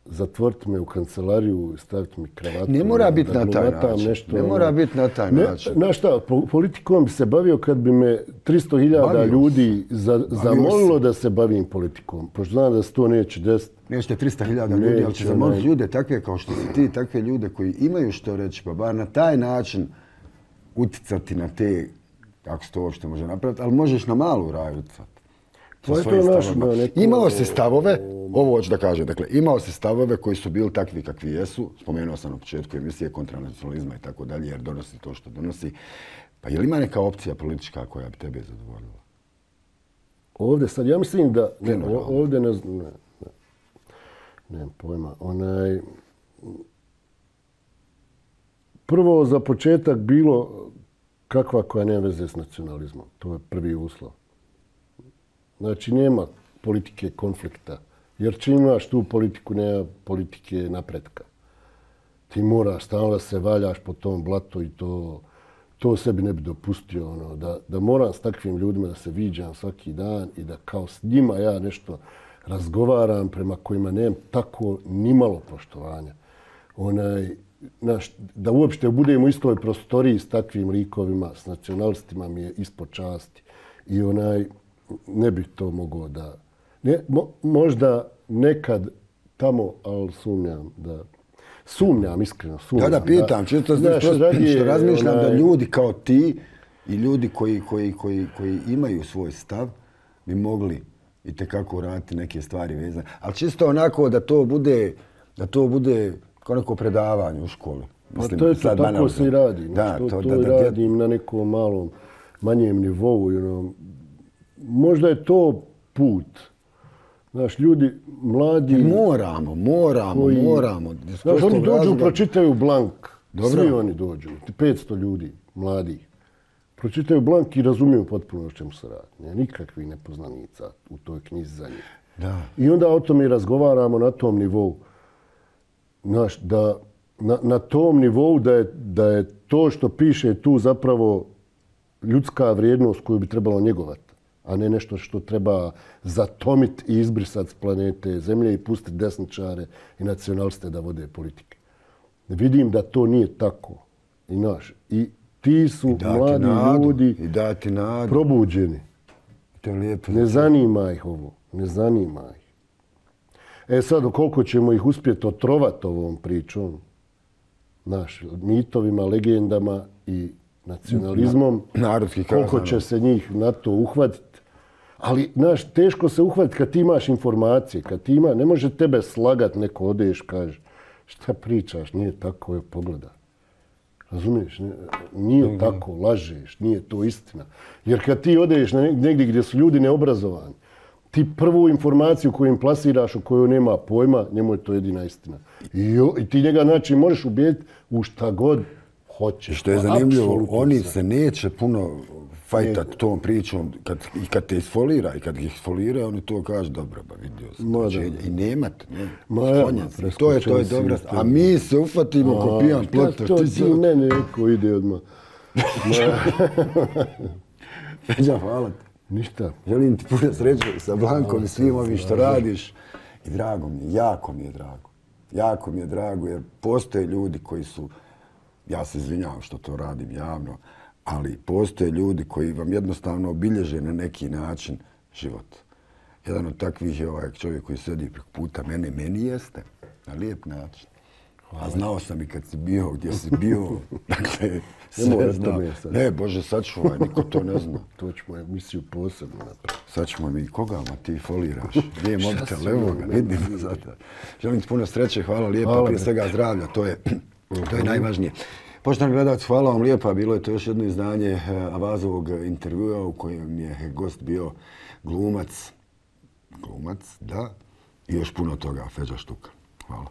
Zatvoriti me u kancelariju, staviti mi kravatu. Ne mora biti na taj način. Ne mora biti na taj način. Znaš šta, politikom bi se bavio kad bi me 300.000 ljudi zamolilo da se bavim politikom. Pošto znam da se to neće desiti. Neće 300.000 ljudi, ali će zamoliti ljude takve kao što si ti, takve ljude koji imaju što reći, pa bar na taj način uticati na te, kako se to uopšte može napraviti, ali možeš na malu raju uticati. Imao se stavove, ovo hoću da kažem, dakle, imao se stavove koji su bili takvi kakvi jesu, spomenuo sam na početku emisije kontra nacionalizma i tako dalje, jer donosi to što donosi. Pa je li ima neka opcija politička koja bi tebe zadovoljila? Ovdje sad, ja mislim da, ovdje ne znam, nemam pojma, prvo za početak bilo kakva koja nema veze s nacionalizmom, to je prvi uslov. Znači, nema politike konflikta. Jer čim imaš tu politiku, nema politike napretka. Ti moraš stalno da se valjaš po tom blatu i to sebi ne bi dopustio. Da moram s takvim ljudima da se viđam svaki dan i da kao s njima ja nešto razgovaram prema kojima nemam tako nimalo poštovanja. Da uopšte budemo u istoj prostoriji s takvim likovima, s nacionalistima mi je ispod časti. I ne bih to mogao da... Možda nekad tamo, ali sumnjam, iskreno sumnjam. Da, pitam, čisto što razmišljam da ljudi kao ti i ljudi koji imaju svoj stav bi mogli itekako raditi neke stvari vezane. Ali čisto onako da to bude kao neko predavanje u školi. Pa to je to, tako se i radi. To radim na nekom malom, manjem nivou. Možda je to put. Znaš, ljudi, mladi... Moramo. Znaš, oni dođu, pročitaju blank. Svi oni dođu. 500 ljudi, mladih. Pročitaju blank i razumiju potpuno o čemu se radi. Nikakvih nepoznanica u toj knjizi za njih. I onda o tome razgovaramo na tom nivou. Znaš, na tom nivou da je to što piše tu zapravo ljudska vrijednost koju bi trebalo njegovati, a ne nešto što treba zatomiti i izbrisati s planete Zemlje i pustiti desničare i nacionaliste da vode politike. Vidim da to nije tako. I ti su mladi ljudi probuđeni. Ne zanima ih ovo. Ne zanima ih. Sad, koliko ćemo ih uspjeti otrovati ovom pričom, mitovima, legendama i nacionalizmom, koliko će se njih na to uhvatiti. Ali, teško se uhvatiti kad ti imaš informacije, ne može tebe slagat neko odeš, kaže, šta pričaš, nije tako, pogledaj. Razumiješ? Nije tako, lažeš, nije to istina. Jer kad ti odeš negdje gdje su ljudi neobrazovani, ti prvu informaciju koju im plasiraš, o kojoj nema pojma, njemu je to jedina istina. I ti njega, možeš ubijediti u šta god hoćeš. Što je zanimljivo, oni se neće puno fajtati tom pričom kad te isfolira i kad ih isfolira, oni to kažu, dobro, ba vidio sam. I nemat, to je dobra. A mi se ufatimo ko pijan plotar. To ti mene neko ide odmah. Feđa, hvala ti. Ništa. Želim ti puno sreće sa Blankom i svim ovim što radiš. I drago mi je, jako mi je drago. Jako mi je drago jer postoje ljudi koji su, ja se izvinjavam što to radim javno, ali postoje ljudi koji vam jednostavno obilježe na neki način život. Jedan od takvih je ovaj čovjek koji sedi preko puta meni jeste, na lijep način. A znao sam i kad si bio, gdje si bio, dakle, sve znao. Ne, Bože, sačuvaj, niko to ne zna. To ćemo emisiju posebno napraviti. Sačuvaj mi, koga ma ti foliraš? Gdje je mobitel, evo ga, vidim zato. Želim ti puno sreće, hvala lijepa, prije svega zdravlja, to je najvažnije. Poštovani gledalci, hvala vam lijepa, bilo je to još jedno izdanje Avazovog intervjua u kojem je gost bio glumac, da, i još puno toga, Feđa Štuka. Hvala.